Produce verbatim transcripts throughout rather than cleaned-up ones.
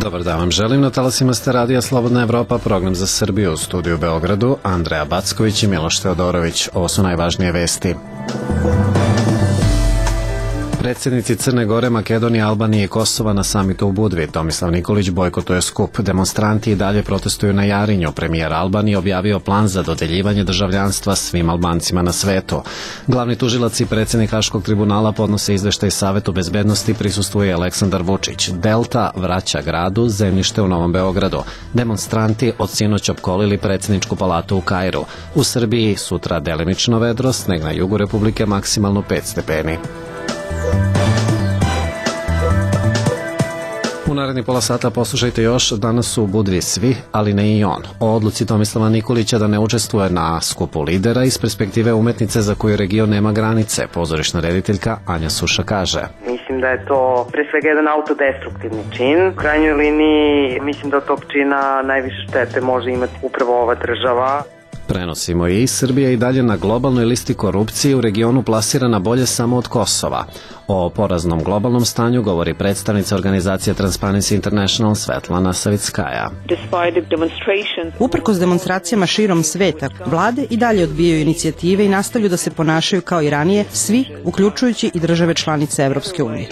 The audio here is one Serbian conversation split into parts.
Dobar dan vam želim, na talasima ste radija Slobodna Evropa, program za Srbiju u studiju u Beogradu, Andreja Backović i Miloš Teodorović. Ovo su najvažnije vesti. Predsjednici Crne Gore, Makedonije, Albanije i Kosova na samitu u Budvi. Tomislav Nikolić bojkotuje skup. Demonstranti i dalje protestuju na Jarinju. Premijer Albanije objavio plan za dodeljivanje državljanstva svim Albancima na svetu. Glavni tužilac i predsjednik Haškog tribunala podnose izveštaj Savetu bezbednosti, prisustvuje Aleksandar Vučić. Delta vraća gradu zemljište u Novom Beogradu. Demonstranti od sinoć opkolili predsjedničku palatu u Kairu. U Srbiji sutra delimično vedro, sneg na jugu Republike maksimalno pet stepeni. U naredni pola sata poslušajte još, danas su u Budvi svi, ali ne i on. O odluci Tomislava Nikolića da ne učestvuje na skupu lidera iz perspektive umetnice za koju region nema granice, pozorišna rediteljka Anja Suša kaže. Mislim da je to pre svega jedan autodestruktivni čin. U krajnjoj liniji mislim da od tog čina najviše štete može imati upravo ova država. Prenosimo i Srbija i dalje na globalnoj listi korupcije u regionu plasirana bolje samo od Kosova. O poraznom globalnom stanju govori predstavnica organizacije Transparency International Svetlana Savickaja. Uprkos demonstracijama širom sveta, vlade i dalje odbijaju inicijative i nastavljaju da se ponašaju kao i ranije, svi, uključujući i države članice Evropske unije.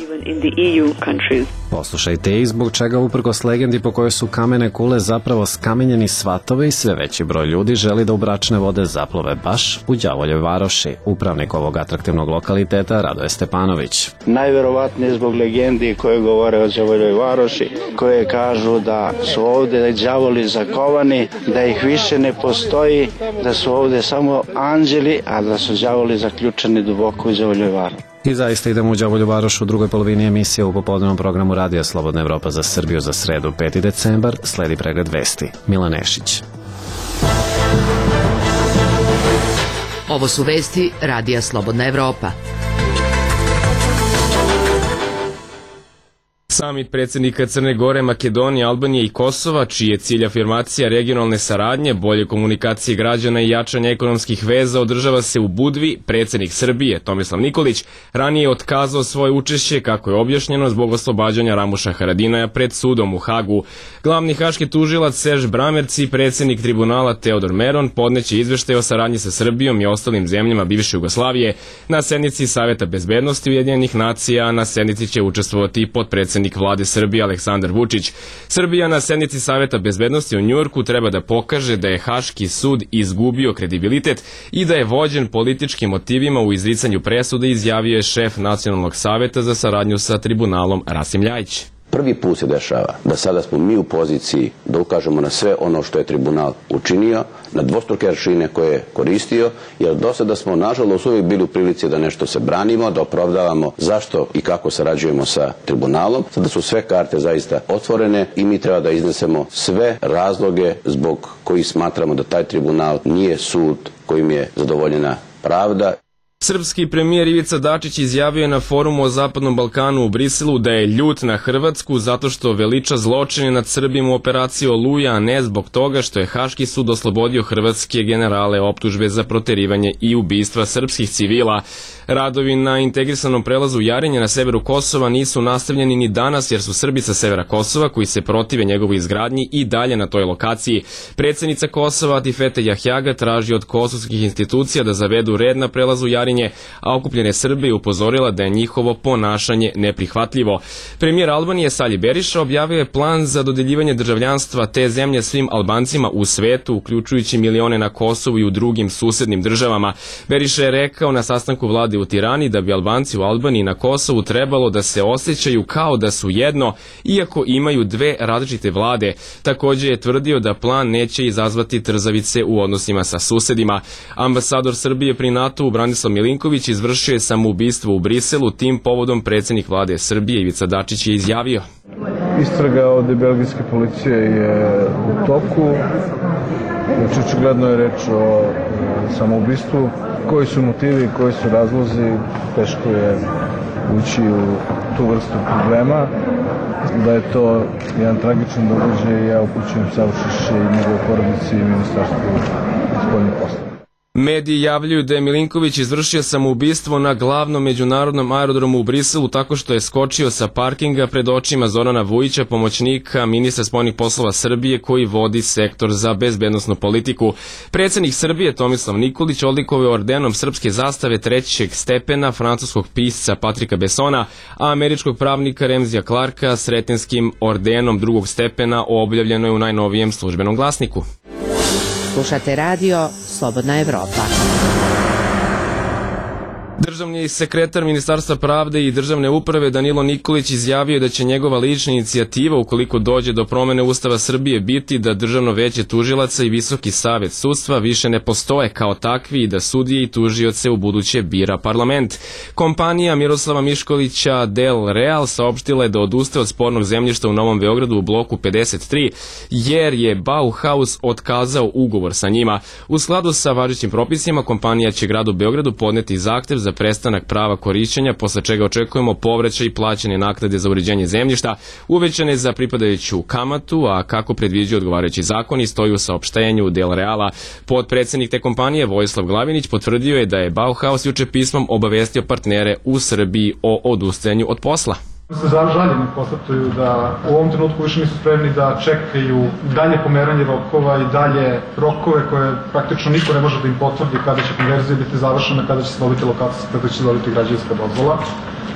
Poslušajte i zbog čega uprkos legendi po kojoj su kamene kule zapravo skamenjeni svatove i sve veći broj ljudi želi da u bračne vode zaplove baš u Đavoljoj Varoši. Upravnik ovog atraktivnog lokaliteta Radoje Stepanović. Najverovatnije zbog legendi koje govore o Đavoljoj Varoši, koje kažu da su ovde đavoli zakovani, da ih više ne postoji, da su ovde samo anđeli, a da su đavoli zaključani duboko u Đavoljoj Varoši. I zaista idemo u Đavolju Varoš u drugoj polovini emisije u popodnevnom programu Radija Slobodna Evropa za Srbiju za sredu peti decembar. Sledi pregled vesti. Milan Nešić. Ovo su vesti Radija Slobodna Evropa. Samit predsjednika Crne Gore, Makedonije, Albanije i Kosova, čiji je cilj afirmacija regionalne saradnje, bolje komunikacije građana i jačanje ekonomskih veza, održava se u Budvi. Predsjednik Srbije, Tomislav Nikolić, ranije je otkazao svoje učešće, kako je objašnjeno, zbog oslobađanja Ramuša Haradinaja pred sudom u Hagu. Glavni haški tužilac Serž Bramerci i predsjednik tribunala Teodor Meron podneće izveštaj o saradnji sa Srbijom i ostalim zemljama bivše Jugoslavije na sednici Saveta bezbednosti Ujedinjenih nacija, a na sednici će učestvovati i potpredsjednik vlade Srbije Aleksandar Vučić. Srbija na sednici Saveta bezbednosti u Njujorku treba da pokaže da je Haški sud izgubio kredibilitet i da je vođen političkim motivima u izricanju presude, izjavio je šef Nacionalnog saveta za saradnju sa tribunalom Rasim Ljajić. Prvi put se dešava da sada smo mi u poziciji da ukažemo na sve ono što je tribunal učinio, na dvostruke aršine koje je koristio, jer do sada smo nažalost uvijek bili u prilici da nešto se branimo, da opravdavamo zašto i kako sarađujemo sa tribunalom. Sada su sve karte zaista otvorene i mi treba da iznesemo sve razloge zbog kojih smatramo da taj tribunal nije sud kojim je zadovoljena pravda. Srpski premijer Ivica Dačić izjavio je na forumu o Zapadnom Balkanu u Briselu da je ljut na Hrvatsku zato što veliča zločine nad Srbima u operaciji Oluja, a ne zbog toga što je Haški sud oslobodio hrvatske generale optužbe za proterivanje i ubistva srpskih civila. Radovi na integrisanom prelazu Jarinje na severu Kosova nisu nastavljeni ni danas jer su Srbi sa severa Kosova koji se protive njegovoj izgradnji i dalje na toj lokaciji. Predsjednica Kosova Atifete Jahjaga traži od kosovskih institucija da zavedu red na prelazu Jarinje, a okupljene Srbe je upozorila da je njihovo ponašanje neprihvatljivo. Premijer Albanije Sali Beriša objavio je plan za dodeljivanje državljanstva te zemlje svim Albancima u svetu, uključujući milione na Kosovu i u drugim susednim državama. Beriša je rekao na sastanku vlade u Tirani da bi Albanci u Albaniji i na Kosovu trebalo da se osjećaju kao da su jedno, iako imaju dve različite vlade. Također je tvrdio da plan neće izazvati trzavice u odnosima sa susedima. Ambasador Srbije pri NATO-u Branislav Milinković izvršio je samoubistvo u Briselu, tim povodom predsjednik vlade Srbije Ivica Dačić je izjavio. Istraga od belgijske policije je u toku. Znači, očigledno je reč o samoubistvu. Koji su motivi, koji su razlozi, teško je ući u tu vrstu problema. Da je to jedan tragičan događaj, ja upućujem saučešće i njegove porodici i ministarstvu spoljnih poslova. Mediji javljaju da je Milinković izvršio samoubistvo na glavnom međunarodnom aerodromu u Briselu tako što je skočio sa parkinga pred očima Zorana Vujića, pomoćnika ministra spoljnih poslova Srbije koji vodi sektor za bezbednosnu politiku. Predsednik Srbije Tomislav Nikolić odlikovao je ordenom srpske zastave trećeg stepena francuskog pisca Patrika Bessona, a američkog pravnika Remzija Clarka sretenskim ordenom drugog stepena, objavljeno je u najnovijem službenom glasniku. Slušate radio Slobodna Evropa. Državni sekretar Ministarstva pravde i državne uprave Danilo Nikolić izjavio da će njegova lična inicijativa, ukoliko dođe do promene Ustava Srbije, biti da Državno veće tužilaca i Visoki savet sudstva više ne postoje kao takvi i da sudije i tužioce u buduće bira parlament. Kompanija Miroslava Miškovića Del Real saopštila je da odustaje od spornog zemljišta u Novom Beogradu u bloku pedeset tri, jer je Bauhaus otkazao ugovor sa njima. U skladu sa važećim propisima, kompanija će gradu Beogradu podneti zahtev za prestanak prava korišćenja, posle čega očekujemo povraćaj i plaćanje naknade za uređenje zemljišta, uvećane za pripadajuću kamatu, a kako predviđaju odgovarajući zakoni, stoji u saopštenju Del Reala. Podpredsednik te kompanije Vojislav Glavinić potvrdio je da je Bauhaus juče pismom obavestio partnere u Srbiji o odustajanju od posla. Se žaljeni konstatuju da u ovom trenutku više nisu spremni da čekaju dalje pomeranje rokova i dalje rokove koje praktično niko ne može da im potvrdi kada će konverzija biti završena, kada će se dobiti lokacija, kada će se dobiti građevinska dozvola.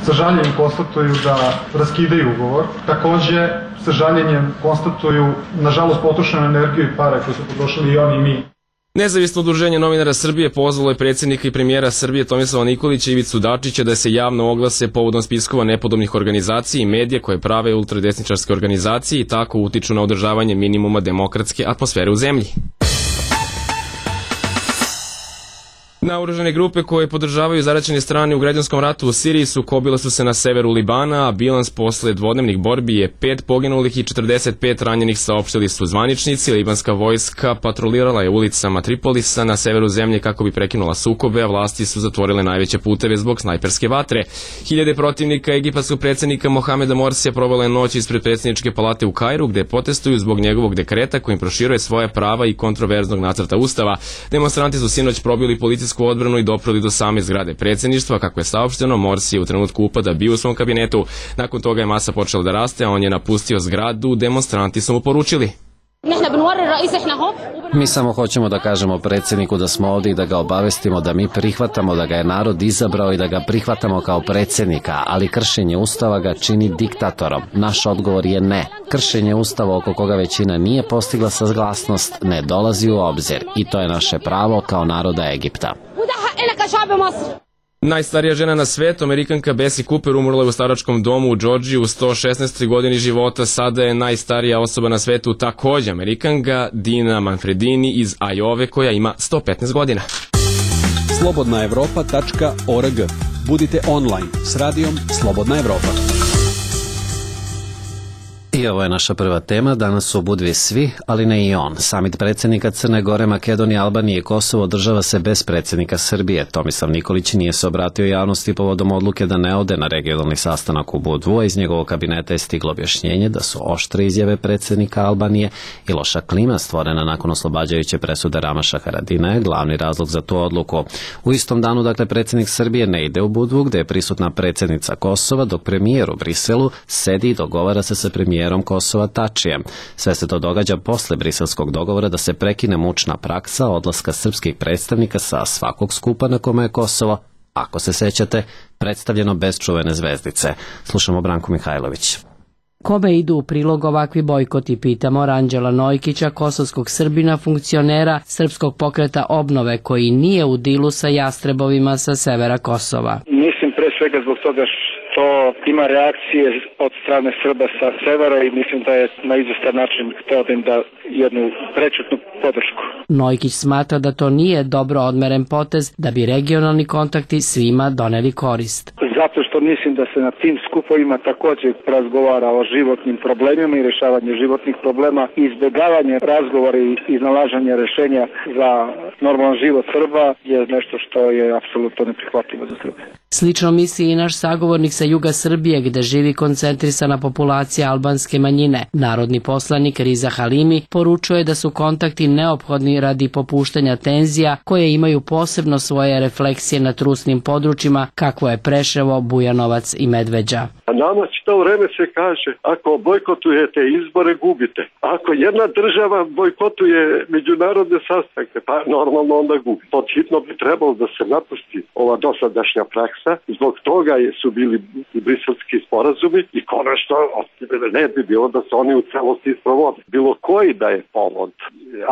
Sa žaljenjem konstatuju da raskidaju ugovor. Takođe, sa žaljenjem konstatuju, nažalost, potrošenu energiju i pare koje su potrošili i oni i mi. Nezavisno udruženje novinara Srbije pozvalo je predsjednika i premijera Srbije Tomislava Nikolića i Ivicu Dačića da se javno oglase povodom spiskova nepodobnih organizacija i medija koje prave ultradesničarske organizacije i tako utiču na održavanje minimuma demokratske atmosfere u zemlji. Naoružane grupe koje podržavaju zaraćene strane u građanskom ratu u Siriji sukobile su se na severu Libana, a bilans posle dvodnevnih borbi je pet poginulih i četrdeset pet ranjenih, saopštili su zvaničnici. Libanska vojska patrolirala je ulicama Tripolisa na severu zemlje kako bi prekinula sukobe, a vlasti su zatvorile najveće puteve zbog snajperske vatre. Hiljade protivnika egipatskog predsjednika Mohameda Morsija provele je noć ispred predsjedničke palate u Kairu, gde protestuju zbog njegovog dekreta kojim proširuje svoje prava i kontroverznog nacrta ustava. Demonstranti su sinoć probili policijsku odbranu i doprali do same zgrade predsjedništva. Kako je saopšteno, Morsi je u trenutku upada bio u svom kabinetu. Nakon toga je masa počela da raste, a on je napustio zgradu. Demonstranti su mu poručili: Mi samo hoćemo da kažemo predsjedniku da smo ovdje i da ga obavestimo da mi prihvatamo da ga je narod izabrao i da ga prihvatamo kao predsjednika, ali kršenje ustava ga čini diktatorom. Naš odgovor je ne. Kršenje ustava oko koga većina nije postigla saglasnost ne dolazi u obzir i to je naše pravo kao naroda Egipta. Najstarija žena na svetu, Amerikanka Bessie Cooper, umrla je u staračkom domu u Džordžiji u sto šesnaestoj godini života. Sada je najstarija osoba na svetu takođe Amerikanka Dina Manfredini iz Ajove, koja ima sto petnaest godina. slobodna evropa tačka org. Budite online s radijom Slobodna Evropa. I ovo je naša prva tema. Danas su u Budvi svi, ali ne i on. Samit predsjednika Crne Gore, Makedonije, Albanije i Kosovo održava se bez predsjednika Srbije. Tomislav Nikolić nije se obratio javnosti povodom odluke da ne ode na regionalni sastanak u Budvu, a iz njegovog kabineta je stiglo objašnjenje da su oštre izjave predsjednika Albanije i loša klima stvorena nakon oslobađajuće presude Ramaša Haradinaja glavni razlog za tu odluku. U istom danu, dakle, predsjednik Srbije ne ide u Budvu, gde je prisutna predsjednica Kosova, dok premijer u Briselu sedi i dogovara se sa premijerom Kosova Tačijem. Sve se to događa posle briselskog dogovora da se prekine mučna praksa odlaska srpskih predstavnika sa svakog skupa na kome je Kosovo, ako se sećate, predstavljeno bez čuvene zvezdice. Slušamo Branku Mihajlović. Kome idu u prilog ovakvi bojkoti, pitamo Ranđela Nojkića, kosovskog Srbina, funkcionera Srpskog pokreta obnove, koji nije u dilu sa jastrebovima sa severa Kosova. Mislim pre svega zbog toga što ima reakcije od strane Srba sa severa i mislim da je na izvestan način hteo da im da jednu prečutnu podršku. Nojkić smatra da to nije dobro odmeren potez, da bi regionalni kontakti svima doneli korist. Zato što mislim da se na tim skupovima također razgovara o životnim problemima i rješavanje životnih problema, izbjegavanje razgovora i iznalaženje rješenja za normalan život Srba je nešto što je apsolutno neprihvatljivo za Srbe. Slično misli i naš sagovornik sa juga Srbije gde živi koncentrisana populacija albanske manjine. Narodni poslanik Riza Halimi poručuje da su kontakti neophodni radi popuštanja tenzija koje imaju posebno svoje refleksije na trusnim područjima kakvo je Preševo, Bujanovac i Medveđa. A nama čito vreme se kaže, ako bojkotujete izbore, gubite. Ako jedna država bojkotuje međunarodne sastanke, pa normalno onda gubi. Podhitno bi trebalo da se napusti ova dosadašnja praksa. Zbog toga su bili briselski sporazumi i konačno ne bi bilo da se oni u celosti sprovode. Bilo koji da je povod,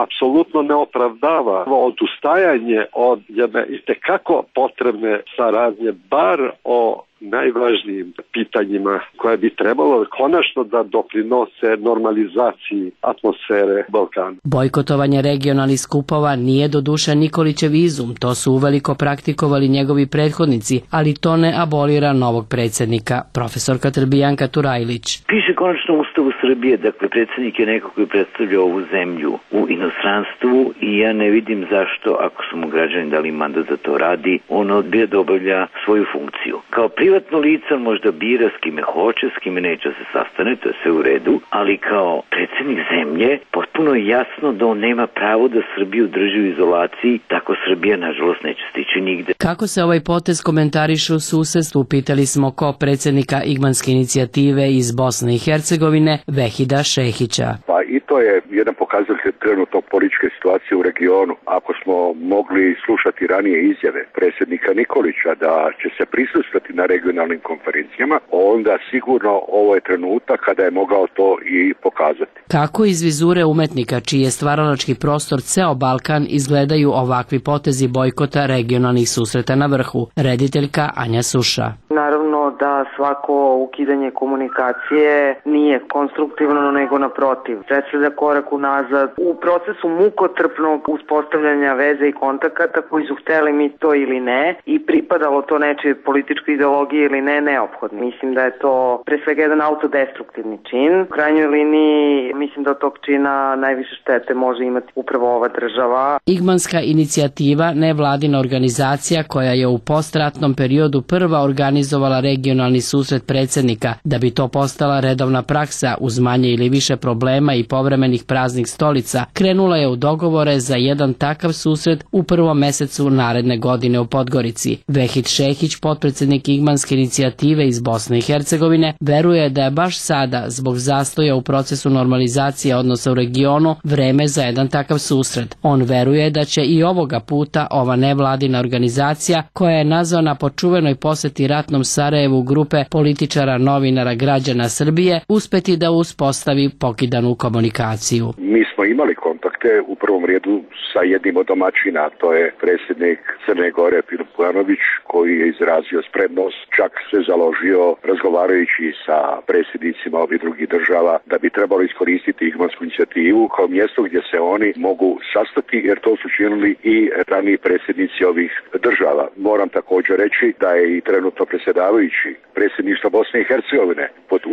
apsolutno ne opravdava odustajanje od jedne itekako potrebne saradnje, bar o najvažnijim pitanjima koje bi trebalo konačno da doprinose normalizaciji atmosfere Balkana. Bojkotovanje regionalnih skupova nije doduše Nikolićev izum, to su uveliko praktikovali njegovi prethodnici, ali to ne abolira novog predsjednika, profesorka Trbijanka Turajlić. Piše konačno u Ustavu Srbije, dakle predsjednik je neko koji predstavlja ovu zemlju u inostranstvu i ja ne vidim zašto, ako su mu građani dali mandat da to radi, on odbija da obavlja svoju funkciju. Kao privatno lice možda bira s kime hoće, s kime neće se sastane, to je sve u redu, ali kao predsjednik zemlje potpuno je jasno da on nema pravo da Srbiju drži u izolaciji, tako Srbija nažalost neće stići nigde. Kako se ovaj potez komentariše u susedstvu, pitali smo ko predsjednika Igmanske inicijative iz Bosne i Hercegovine, Vehida Šehića. Pa i to je jedan pokazatelj trenutno političke situacije u regionu. Ako smo mogli slušati ranije izjave predsjednika Nikolića da će se prisustvati na regionalnim konferencijama, onda sigurno ovo je trenutak kada je mogao to i pokazati. Kako iz vizure umetnika, čiji je stvaralački prostor ceo Balkan, izgledaju ovakvi potezi bojkota regionalnih susreta na vrhu? Rediteljka Anja Suša. Naravno da svako ukidanje komunikacije nije konstruktivno, nego naprotiv. Predstavlja korak unazad u procesu mukotrpnog uspostavljanja veze i kontakata koji su hteli mi to ili ne i pripadalo to nečoj političkoj ideologiji ili ne, neophodno. Mislim da je to pre svega jedan autodestruktivni čin. U krajnjoj liniji mislim da od tog čina najviše štete može imati upravo ova država. Igmanska inicijativa, nevladina organizacija koja je u postratnom periodu prva organizovala regionalni susret predsjednika, da bi to postala redovna praksa uz manje ili više problema i povremenih praznih stolica, krenula je u dogovore za jedan takav susret u prvom mesecu naredne godine u Podgorici. Vehid Šehić, potpredsjednik Igmanske inicijative iz Bosne i Hercegovine, veruje da je baš sada, zbog zastoja u procesu normalizacije odnosa u regionu, vreme za jedan takav susret. On veruje da će i ovoga puta ova nevladina organizacija, koja je nazvana po čuvenoj poseti ratnom Sarajevu grupe političara, novinara, građana Srbije, uspeti da uspostavi pokidanu komunikaciju. Mi smo imali kontakte u prvom redu sa jednim od domaćina, to je predsjednik Crne Gore Filip Bujanović, koji je izrazio spremnost, čak se založio razgovarajući sa predsjednicima ovih drugih država da bi trebalo iskoristiti Igmansku inicijativu kao mjesto gdje se oni mogu sastati, jer to su činili i raniji predsjednici ovih država. Moram također reći da je i trenutno predsjedavajući predsjedništva Bosne i Hercegovine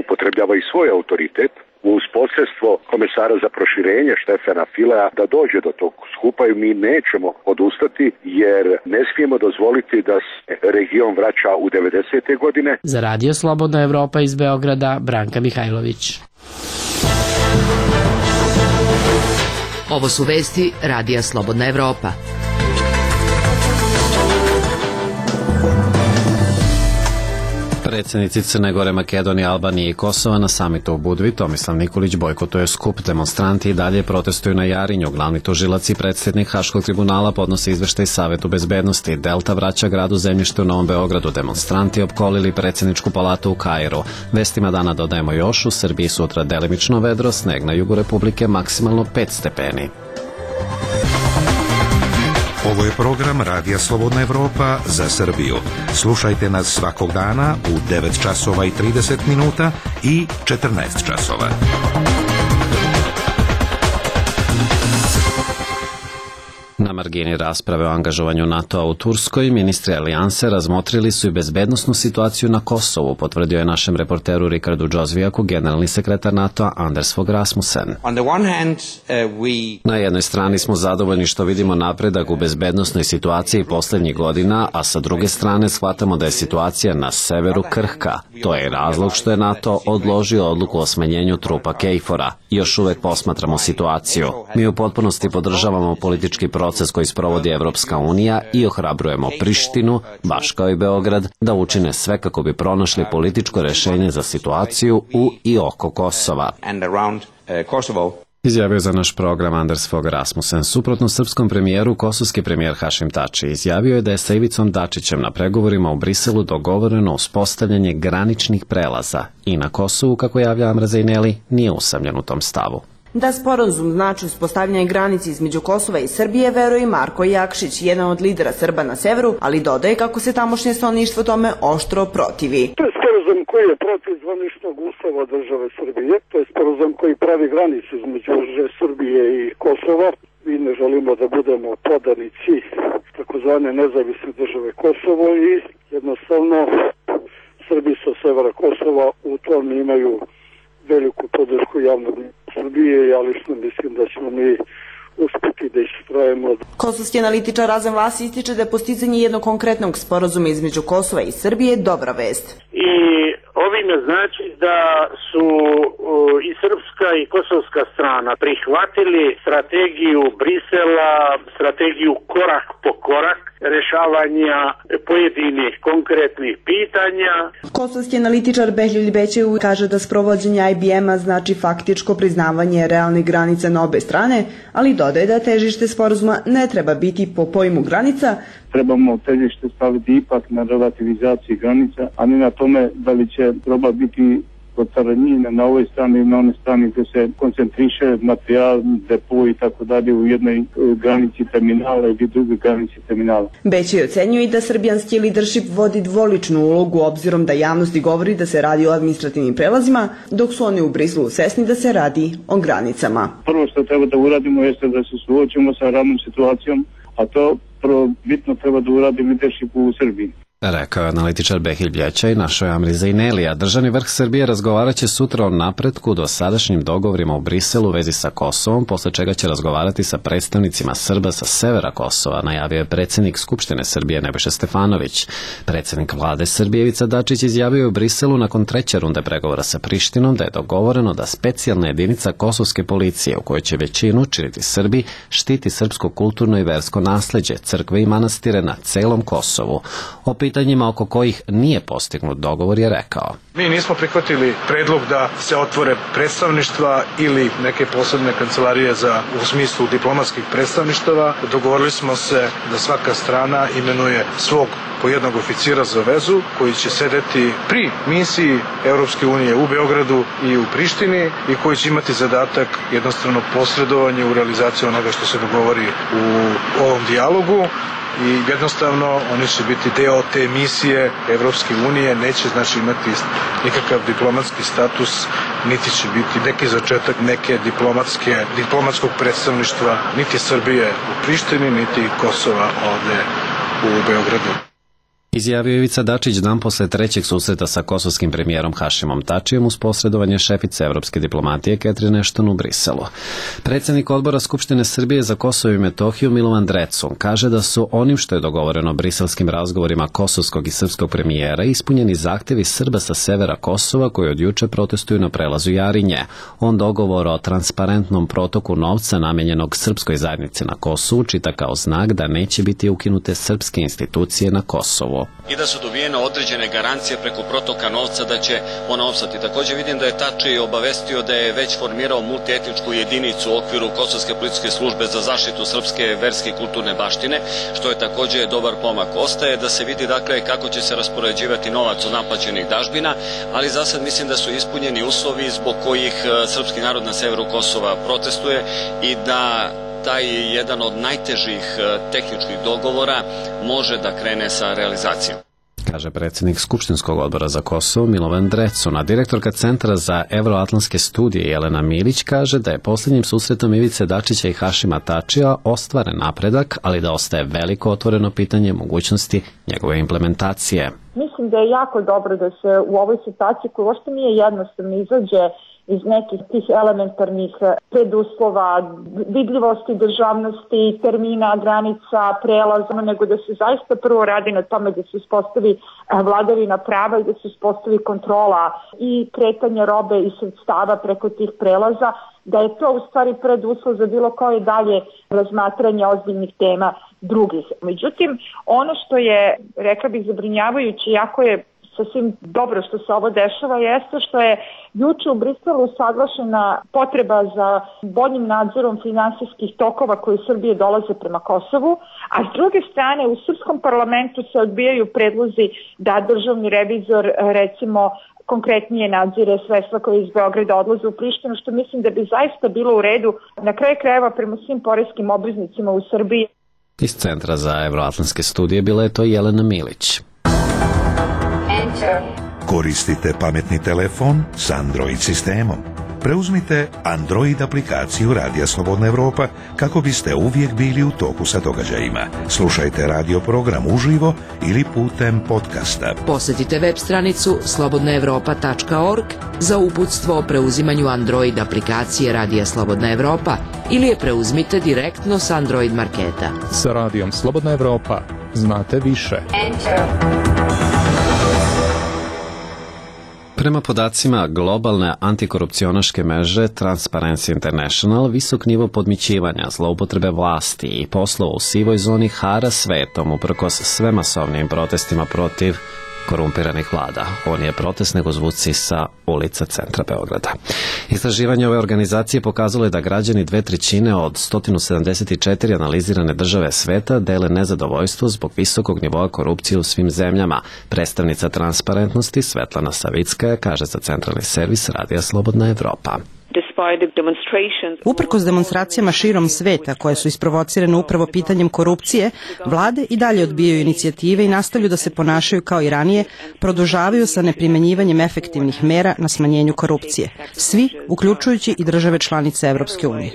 upotrebljava i svoj autoritet uz posredstvo komesara za proširenje Štefana Filea da dođe do tog skupa i mi nećemo odustati jer ne smijemo dozvoliti da se region vraća u devedesete godine. Za Radio Slobodna Evropa iz Beograda, Branka Mihajlović. Ovo su vesti Radija Slobodna Evropa. Predsjednici Crne Gore, Makedonije, Albanije i Kosova na samitu u Budvi Tomislav Nikolić bojkotuje skup. Demonstranti i dalje protestuju na Jarinju. Glavni tužilac i predsjednik Haškog tribunala podnose izveštaj Savetu bezbednosti. Delta vraća gradu zemljište u Novom Beogradu. Demonstranti opkolili predsjedničku palatu u Kairu. Vestima dana dodajemo još, u Srbiji sutra delimično vedro, sneg na jugu Republike, maksimalno pet stepeni. Ovo je program Radija Slobodna Evropa za Srbiju. Slušajte nas svakog dana u devet časova i trideset minuta i četrnaest časova. Na margini rasprave o angažovanju NATO-a u Turskoj, ministri alijanse razmotrili su i bezbednosnu situaciju na Kosovu, potvrdio je našem reporteru Rikardu Džozvijaku generalni sekretar NATO-a Anders Fogh Rasmussen. Na jednoj strani smo zadovoljni što vidimo napredak u bezbednosnoj situaciji poslednjih godina, a sa druge strane shvatamo da je situacija na severu krhka. To je razlog što je NATO odložio odluku o smanjenju trupa Kejfora. Još uvek posmatramo situaciju. Mi u potpunosti podržavamo politički proces koji sprovodi Evropska unija i ohrabrujemo Prištinu, baš kao i Beograd, da učine sve kako bi pronašli političko rešenje za situaciju u i oko Kosova. Izjavio za naš program Anders Fogh Rasmussen. Suprotno srpskom premijeru, kosovski premijer Hašim Tači izjavio je da je sa Ivicom Dačićem na pregovorima u Briselu dogovoreno uspostavljanje graničnih prelaza i na Kosovu, kako javlja Amra Zejneli, nije usamljen u tom stavu. Da sporazum znači uspostavljanje granice između Kosova i Srbije, veruje i Marko Jakšić, jedan od lidera Srba na severu, ali dodaje kako se tamošnje stanovništvo tome oštro protivi. To je sporazum koji je protiv zvaničnog ustava države Srbije, to je sporazum koji pravi granicu između Srbije i Kosova. Mi ne želimo da budemo podanici takozvane nezavisne države Kosovo i jednostavno Srbi sa severa Kosova u tom imaju veliku podršku javnog Srbije, ja lično mislim da ćemo mi uspeti da istrajemo. Kosovski analitičar Razan Vlasi ističe da je postizanje jednog konkretnog sporazuma između Kosova i Srbije dobra vest. I ovime znači da su i srpska i kosovska strana prihvatili strategiju Brisela, strategiju korak po korak rešavanja pojedinih konkretnih pitanja. Kosovski analitičar Behlil Bećev kaže da sprovođenje I B M-a znači faktičko priznavanje realnih granica na obe strane, ali dodaje da težište sporazuma ne treba biti po pojmu granica. Trebamo težište staviti ipak na relativizaciji granica, a ne na tome da li će roba biti od carinjenja na ovoj strani i na onoj strani gde se koncentriše materijal, depo i tako dalje u jednoj granici terminala ili drugoj granici terminala. Bećej ocenjuje i da srbijanski leadership vodi dvoličnu ulogu obzirom da javnosti govori da se radi o administrativnim prelazima, dok su oni u Briselu svesni da se radi o granicama. Prvo što treba da uradimo jeste da se suočimo sa radnom situacijom, a to prvo bitno treba da uradi leadership u Srbiji. Rekao je analitičar Behil Bljećaj, našoj Amri Zejnelija. Državni vrh Srbije razgovarat će sutra o napretku do sadašnjim dogovorima u Briselu u vezi sa Kosovom, posle čega će razgovarati sa predstavnicima Srba sa severa Kosova, najavio je predsjednik Skupštine Srbije Nebojša Stefanović. Predsjednik vlade Srbije Ivica Dačić izjavio u Briselu nakon treće runde pregovora sa Prištinom da je dogovoreno da specijalna jedinica kosovske policije, u kojoj će većinu činiti Srbi, štiti srpsko kulturno i versko nasleđe, crkve i manastire na celom Kosovu. O pitanjima oko kojih nije postignut dogovor je rekao. Mi nismo prihvatili predlog da se otvore predstavništva ili neke posebne kancelarije za, u smislu diplomatskih predstavništava. Dogovorili smo se da svaka strana imenuje svog po jednog oficira za vezu koji će sedeti pri misiji Europske unije u Beogradu i u Prištini i koji će imati zadatak jednostavno posredovanje u realizaciji onoga što se dogovori u ovom dijalogu. I jednostavno oni će biti deo te misije Evropske unije, neće znači imati nikakav diplomatski status, niti će biti neki začetak neke diplomatske, diplomatskog predstavništva niti Srbije u Prištini, niti Kosova ovde u Beogradu. Izjavio Ivica Dačić dan posle trećeg susreta sa kosovskim premijerom Hašimom Tačijem uz posredovanje šefice evropske diplomatije Catherine Ashton u Briselu. Predsjednik odbora Skupštine Srbije za Kosovo i Metohiju Milovan Drecun kaže da su onim što je dogovoreno briselskim razgovorima kosovskog i srpskog premijera ispunjeni zahtevi Srba sa severa Kosova koji od juče protestuju na prelazu Jarinje. On dogovor o transparentnom protoku novca namenjenog srpskoj zajednici na Kosovu čita kao znak da neće biti ukinute srpske institucije na Kosovu. I da su dobijene određene garancije preko protoka novca da će ona opstati. Također vidim da je Tači obavestio da je već formirao multietničku jedinicu u okviru Kosovske policijske službe za zaštitu srpske verske i kulturne baštine, što je također dobar pomak. Ostaje da se vidi dakle kako će se raspoređivati novac od naplaćenih dažbina, ali za sad mislim da su ispunjeni uslovi zbog kojih srpski narod na severu Kosova protestuje i da taj jedan od najtežih tehničkih dogovora može da krene sa realizacijom. kaže predsjednik Skupštinskog odbora za Kosovo Milovan Drecun, direktorka Centra za evroatlantske studije Jelena Milić kaže da je posljednjim susretom Ivice Dačića i Hašima Tačija ostvaren napredak, ali da ostaje veliko otvoreno pitanje mogućnosti njegove implementacije. Mislim da je jako dobro da se u ovoj situaciji, koja uopšte nije jednostavno, izađe iz nekih tih elementarnih preduslova, vidljivosti, državnosti, termina, granica, prelaza, nego da se zaista prvo radi na tome da se uspostavi vladavina prava i da se uspostavi kontrola i kretanja robe i sredstava preko tih prelaza, da je to u stvari preduslov za bilo koje dalje razmatranje ozbiljnih tema drugih. Međutim, ono što je, rekla bih, zabrinjavajuće, jako je sasvim dobro što se ovo dešava, jeste što je juče u Briselu usaglašena potreba za boljim nadzorom finansijskih tokova koji iz Srbije dolaze prema Kosovu, a s druge strane u srpskom parlamentu se odbijaju predlozi da državni revizor, recimo, konkretnije nadzire sredstva koje iz Beograda odlaze u Prištinu, što mislim da bi zaista bilo u redu na kraju krajeva prema svim porezkim obveznicima u Srbiji. Iz Centra za evroatlantske studije bila je to Jelena Milić. Koristite pametni telefon s Android sistemom. Preuzmite Android aplikaciju Radija Slobodna Evropa kako biste uvijek bili u toku sa događajima. Slušajte radio program uživo ili putem podcasta. Posjetite web stranicu slobodna evropa tačka org za uputstvo o preuzimanju Android aplikacije Radija Slobodna Evropa ili je preuzmite direktno s Android marketa. Sa Radijom Slobodna Evropa znate više. Prema podacima globalne antikorupcionaške mreže Transparency International, visok nivo podmićivanja, zloupotrebe vlasti i poslova u sivoj zoni hara svetom uprkos sve masovnijim protestima protiv korumpiranih vlada. Ovo nije protest, nego zvuci sa ulica centra Beograda. Istraživanje ove organizacije pokazalo je da građani dve trećine od sto sedamdeset četiri analizirane države sveta dele nezadovoljstvo zbog visokog nivoa korupcije u svim zemljama. Predstavnica transparentnosti Svetlana Savickaja kaže za centralni servis Radija Slobodna Evropa. Uprkos demonstracijama širom sveta koje su isprovocirane upravo pitanjem korupcije, vlade i dalje odbijaju inicijative i nastavljaju da se ponašaju kao i ranije, produžavaju sa neprimenjivanjem efektivnih mera na smanjenju korupcije. Svi, uključujući i države članice Evropske unije.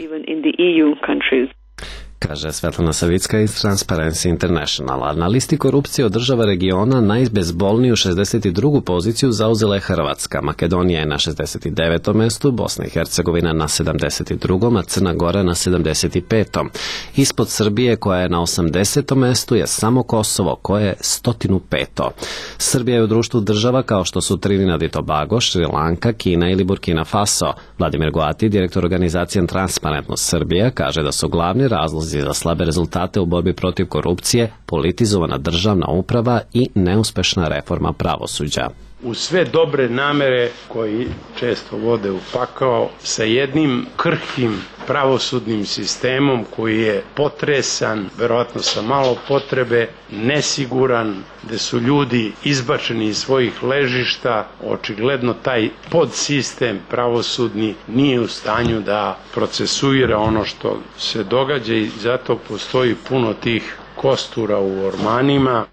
Kaže Svetlana Savicka iz Transparency International. A na listi korupcije od država regiona najbezbolniju šezdeset drugu poziciju zauzela je Hrvatska. Makedonija je na šezdeset devetom mestu, Bosna i Hercegovina na sedamdeset drugom, a Crna Gora na sedamdeset petom Ispod Srbije, koja je na osamdesetom mestu, je samo Kosovo, koje je sto peto Srbija je u društvu država kao što su Trinidad i Tobago, Šri Lanka, Kina ili Burkina Faso. Vladimir Goati, direktor organizacije Transparentnost Srbija, kaže da su glavni razlozi za slabe rezultate u borbi protiv korupcije politizovana državna uprava i neuspešna reforma pravosuđa. U sve dobre namere koji često vode u pakao, sa jednim krhkim pravosudnim sistemom koji je potresan, verovatno sa malo potrebe, nesiguran, gde su ljudi izbačeni iz svojih ležišta, očigledno taj podsistem pravosudni nije u stanju da procesuira ono što se događa i zato postoji puno tih kostura u ormanima.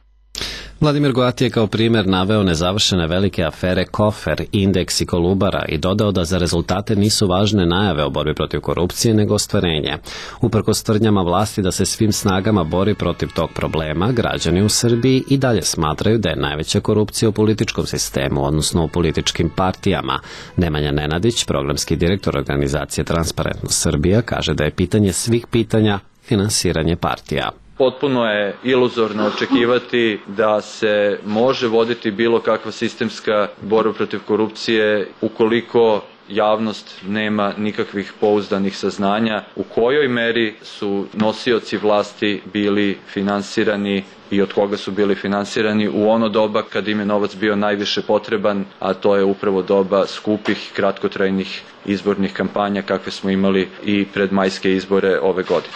Vladimir Goati je kao primjer naveo nezavršene velike afere Kofer, Indeks i Kolubara i dodao da za rezultate nisu važne najave o borbi protiv korupcije nego ostvarenje. Uprkos tvrdnjama vlasti da se svim snagama bori protiv tog problema, građani u Srbiji i dalje smatraju da je najveća korupcija u političkom sistemu, odnosno u političkim partijama. Nemanja Nenadić, programski direktor organizacije Transparentnost Srbija, kaže da je pitanje svih pitanja finansiranje partija. Potpuno je iluzorno očekivati da se može voditi bilo kakva sistemska borba protiv korupcije ukoliko javnost nema nikakvih pouzdanih saznanja u kojoj meri su nosioci vlasti bili finansirani i od koga su bili finansirani u ono doba kad im je novac bio najviše potreban, a to je upravo doba skupih, kratkotrajnih izbornih kampanja kakve smo imali i pred majske izbore ove godine.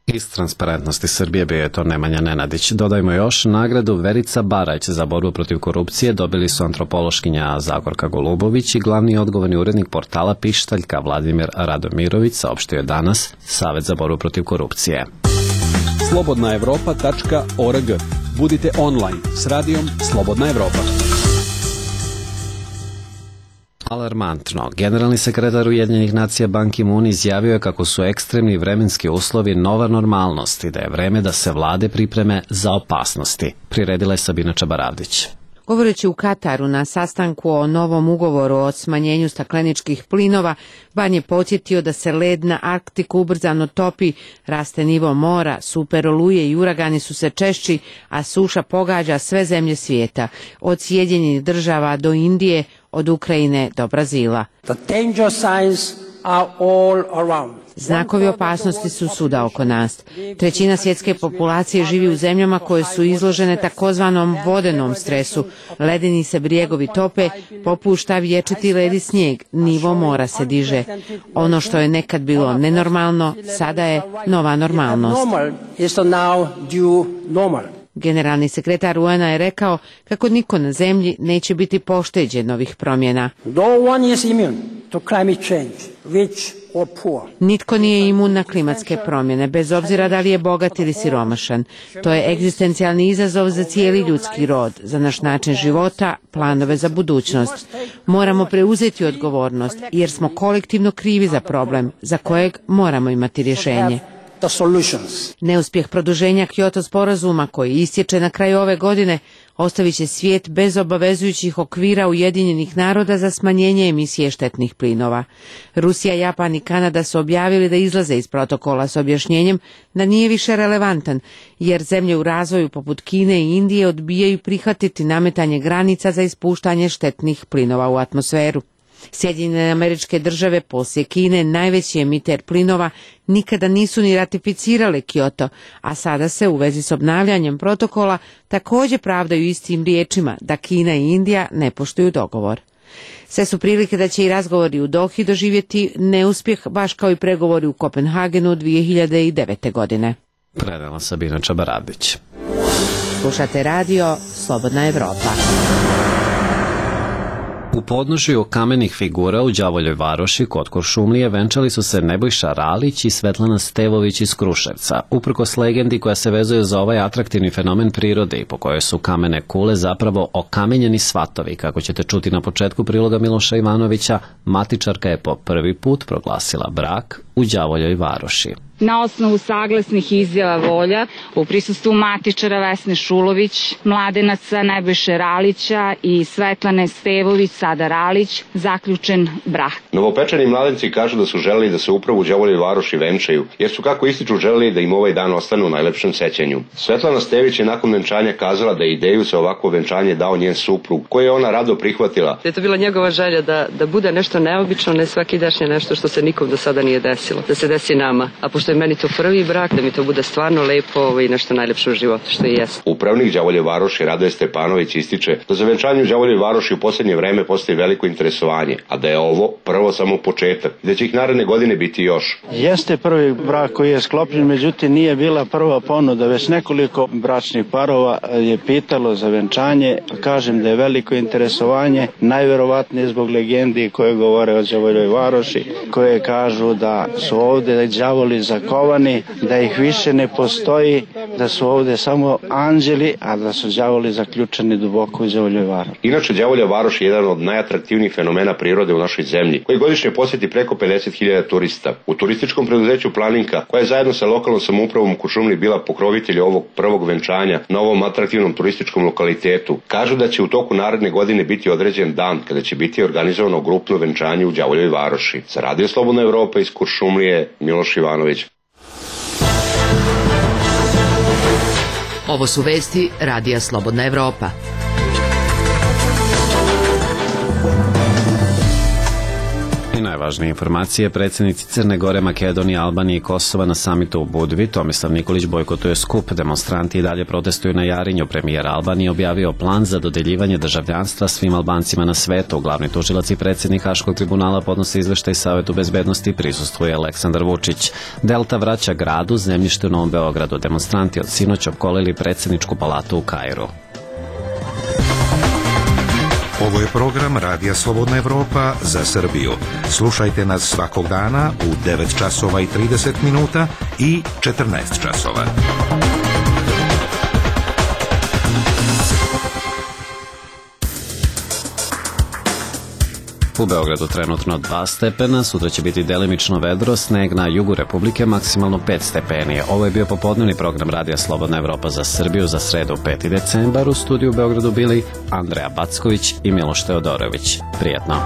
Iz Transparentnosti Srbije bio je to Nemanja Nenadić. Dodajmo još, nagradu Verica Barać za borbu protiv korupcije dobili su antropološkinja Zagorka Golubović i glavni odgovorni urednik portala Pištaljka Vladimir Radomirović, saopštio je danas Savet za borbu protiv korupcije. slobodna evropa tačka org. Budite online s radijom Slobodna Evropa. Alarmantno. Generalni sekretar Ujedinjenih nacija Ban Ki-moon izjavio je kako su ekstremni vremenski uslovi nova normalnost i da je vreme da se vlade pripreme za opasnosti. Priredila je Sabina Čabaravdić. Govoreći u Kataru na sastanku o novom ugovoru o smanjenju stakleničkih plinova, Ban je podsjetio da se led na Arktiku ubrzano topi, raste nivo mora, super oluje i uragani su se češći, a suša pogađa sve zemlje svijeta, od Sjedinjenih država do Indije, od Ukrajine do Brazila. The danger signs are all around. Znakovi opasnosti su svuda oko nas. Trećina svjetske populacije živi u zemljama koje su izložene takozvanom vodenom stresu. Ledeni se brijegovi tope, popušta vječiti led i snijeg, nivo mora se diže. Ono što je nekad bilo nenormalno, sada je nova normalnost. Generalni sekretar U N A je rekao kako niko na zemlji neće biti pošteđen ovih promjena. No one is immune to climate change, rich or poor. Nitko nije imun na klimatske promjene, bez obzira da li je bogat ili siromašan. To je egzistencijalni izazov za cijeli ljudski rod, za naš način života, planove za budućnost. Moramo preuzeti odgovornost, jer smo kolektivno krivi za problem, za kojeg moramo imati rješenje. Neuspjeh produženja Kyoto sporazuma, koji istječe na kraju ove godine, ostavit će svijet bez obavezujućih okvira Ujedinjenih naroda za smanjenje emisije štetnih plinova. Rusija, Japan i Kanada su objavili da izlaze iz protokola s objašnjenjem da nije više relevantan, jer zemlje u razvoju poput Kine i Indije odbijaju prihvatiti nametanje granica za ispuštanje štetnih plinova u atmosferu. Sjedinjene Američke Države, poslije Kine, najveći emiter plinova, nikada nisu ni ratificirale Kyoto, a sada se u vezi s obnavljanjem protokola također pravdaju istim riječima da Kina i Indija ne poštuju dogovor. Sve su prilike da će i razgovori u Dohi doživjeti neuspjeh, baš kao i pregovori u Kopenhagenu dvije hiljade devete. godine. Predala Sabina Čabaravdić. Slušate radio Slobodna Evropa. U podnožju kamenih figura u Đavoljoj Varoši kod Kuršumlije venčali su se Nebojša Ralić i Svetlana Stevović iz Kruševca, uprkos legendi koja se vezuje za ovaj atraktivni fenomen prirode i po kojoj su kamene kule zapravo okamenjeni svatovi. Kako ćete čuti na početku priloga Miloša Ivanovića, matičarka je po prvi put proglasila brak u Đavoljoj Varoši. Na osnovu saglasnih izjava volja u prisustvu matičara Vesne Šulović, mladenaca Nebojše Ralića i Svetlane Stevović, sada Ralić, zaključen brak. Novopečeni mladenci kažu da su želeli da se upravo u Đavoljoj Varoši venčaju, jer su, kako ističu, želeli da im ovaj dan ostane u najlepšem sećanju. Svetlana Stević je nakon venčanja kazala da je ideju za ovako venčanje dao njen suprug, koje je ona rado prihvatila. Je to bila njegova želja da, da bude nešto neobično, ne svakidašnje, nešto što se nikom do sada nije desilo, da se desi nama. A pošto je meni to prvi brak, da mi to bude stvarno lepo i nešto najlepše u životu, što i jest. Upravnik Đavolje Varoši Radoje Stepanović ističe da za venčanje u Đavoljoj Varoši u posljednje vreme postoji veliko interesovanje, a da je ovo prvo samo početak i da će ih naredne godine biti još. Jeste prvi brak koji je sklopljen, međutim nije bila prva ponuda, već nekoliko bračnih parova je pitalo za venčanje. Kažem da je veliko interesovanje, najverovatnije zbog legendi koje govore o Đavoljoj Varoši, koje kažu da su ovde đavoli zakovani, da ih više ne postoji, da su ovde samo anđeli, a da su đavoli zaključani duboko u Đavoljoj Varoši. Inače, Đavolja Varoš je jedan od najatraktivnijih fenomena prirode u našoj zemlji, koji godišnje posjeti preko pedeset hiljada turista. U turističkom preduzeću Planinka, koja je zajedno sa lokalnom samoupravom u Kuršumliji bila pokrovitelj ovog prvog venčanja na ovom atraktivnom turističkom lokalitetu, kažu da će u toku naredne godine biti određen dan kada će biti organizovano grupno venčanje u Đavoljoj Varoši. Za Radio Slobodna Evropa iz Kuršumlije, Miloš Ivanović. Ovo su vesti Radija Slobodna Evropa. I najvažnije informacije: predsjednici Crne Gore, Makedonije, Albanije i Kosova na samitu u Budvi. Tomislav Nikolić bojkotuje skup, demonstranti i dalje protestuju na Jarinju. Premijer Albanije objavio plan za dodeljivanje državljanstva svim Albancima na svetu. Glavni tužilac i predsjednik Haškog tribunala podnose izveštaj Savetu bezbednosti i prisustvuje Aleksandar Vučić. Delta vraća gradu zemljište u Novom Beogradu. Demonstranti od sinoć opkolili predsjedničku palatu u Kairu. Ovo je program Radija Slobodna Evropa za Srbiju. Slušajte nas svakog dana u devet časova i trideset minuta i četrnaest časova. U Beogradu trenutno dva stepena, sutra će biti delimično vedro, sneg na jugu Republike, maksimalno pet stepeni. Ovo je bio popodnevni program Radija Slobodna Evropa za Srbiju za sredu peti decembar. U studiju u Beogradu bili Andreja Backović i Miloš Teodorović. Prijetno.